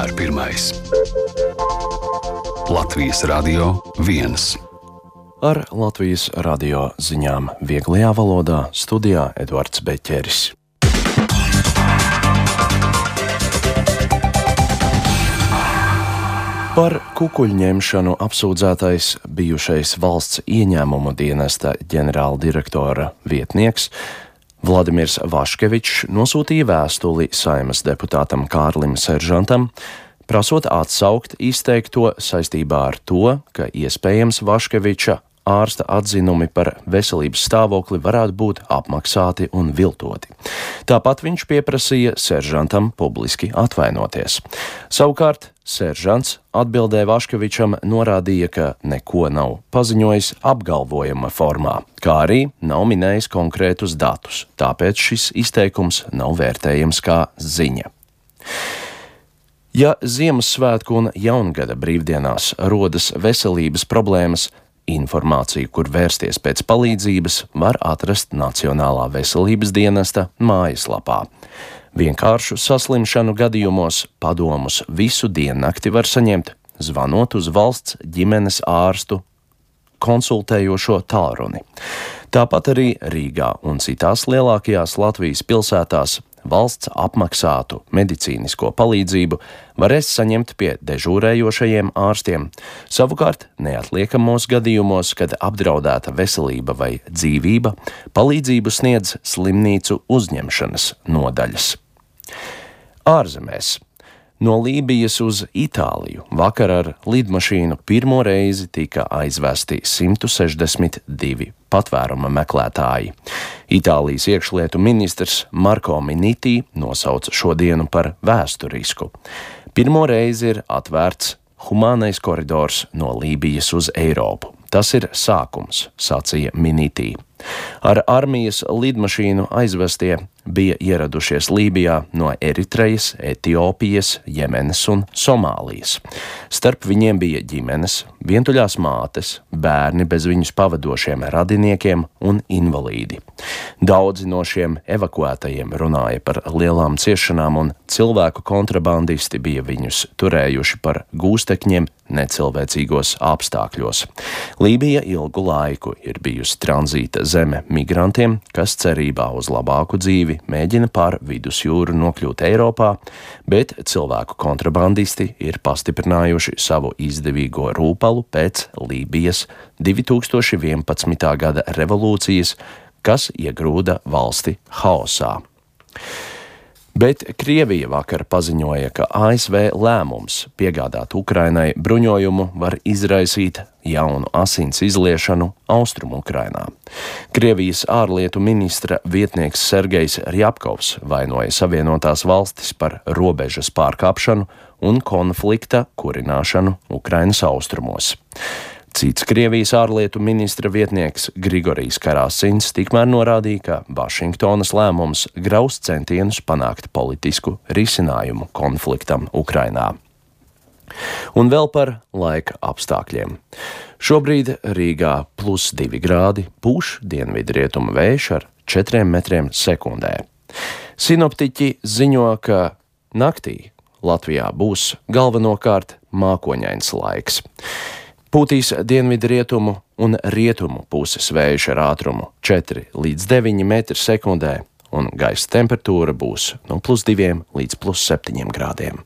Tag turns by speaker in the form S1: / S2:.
S1: vienmēr pirmais. Latvijas Radio 1.
S2: Ar Latvijas radio ziņām vieglajā valodā studijā Eduards Beķeris. Par kukuļņemšanu apsūdzētais bijušais valsts ieņēmumu dienesta ģenerāldirektora vietnieks Vladimirs Vaškevičs nosūtīja vēstuli Saeimas deputātam Kārlim Seržantam, prasot atsaukt izteikto saistībā ar to, ka iespējams Vaškeviča ārsta atzinumi par veselības stāvokli varētu būt apmaksāti un viltoti. Tāpat viņš pieprasīja Seržantam publiski atvainoties. Savukārt Seržants atbildē Vaškevičam norādīja, ka neko nav paziņojis apgalvojuma formā, kā arī nav minējis konkrētus datus, tāpēc šis izteikums nav vērtējams kā ziņa. Ja Ziemassvētku un Jaungada brīvdienās rodas veselības problēmas, informāciju, kur vērsties pēc palīdzības, var atrast Nacionālā veselības dienesta mājaslapā. Vienkāršu saslimšanu gadījumos padomus visu diennakti var saņemt, zvanot uz valsts ģimenes ārstu konsultējošo tālruni. Tāpat arī Rīgā un citās lielākajās Latvijas pilsētās valsts apmaksātu medicīnisko palīdzību varēs saņemt pie dežūrējošajiem ārstiem. Savukārt, neatliekamos gadījumos, kad apdraudēta veselība vai dzīvība, palīdzību sniedz slimnīcu uzņemšanas nodaļas. Ārzemēs. No Lībijas uz Itāliju vakar ar lidmašīnu pirmo reizi tika aizvesti 162 patvēruma meklētāji. Itālijas iekšlietu ministrs Marko Minniti nosauca šo dienu par vēsturisku. Pirmo reizi ir atvērts humānais koridors no Lībijas uz Eiropu. Tas ir sākums, sacīja Minniti. Ar armijas lidmašīnu aizvestie bija ieradušies Lībijā no Eritrejas, Etiopijas, Jemenas un Somālijas. Starp viņiem bija ģimenes, vientuļās mātes, bērni bez viņus pavadošiem radiniekiem un invalīdi. Daudzi no šiem evakuētajiem runāja par lielām ciešanām, un cilvēku kontrabandisti bija viņus turējuši par gūstekņiem necilvēcīgos apstākļos. Lībija ilgu laiku ir bijusi tranzīta zeme migrantiem, kas cerībā uz labāku dzīvi mēģina pār vidusjūru nokļūt Eiropā, bet cilvēku kontrabandisti ir pastiprinājuši savu izdevīgo rūpalu pēc Lībijas 2011. gada revolūcijas, kas iegrūda valsti haosā. Bet Krievija vakar paziņoja, ka ASV lēmums piegādāt Ukrainai bruņojumu var izraisīt jaunu asins izliešanu Austrumu Ukrainā. Krievijas ārlietu ministra vietnieks Sergejs Rjapkovs vainoja Savienotās valstis par robežas pārkāpšanu un konflikta kurināšanu Ukrainas austrumos. Cits Krievijas ārlietu ministra vietnieks Grigorijs Karasins tikmēr norādīja, ka Vašingtonas lēmums graus centienus panākt politisku risinājumu konfliktam Ukrainā. Un vēl par laika apstākļiem. Šobrīd Rīgā +2 grādi, pūš dienvidrietumu vējš ar 4 metriem sekundē. Sinoptiķi ziņo, ka naktī Latvijā būs galvenokārt mākoņains laiks. Pūtīs dienvidrietumu un rietumu puses vējš ar ātrumu 4 līdz 9 metri sekundē, un gaisa temperatūra būs no +2 līdz +7 grādiem.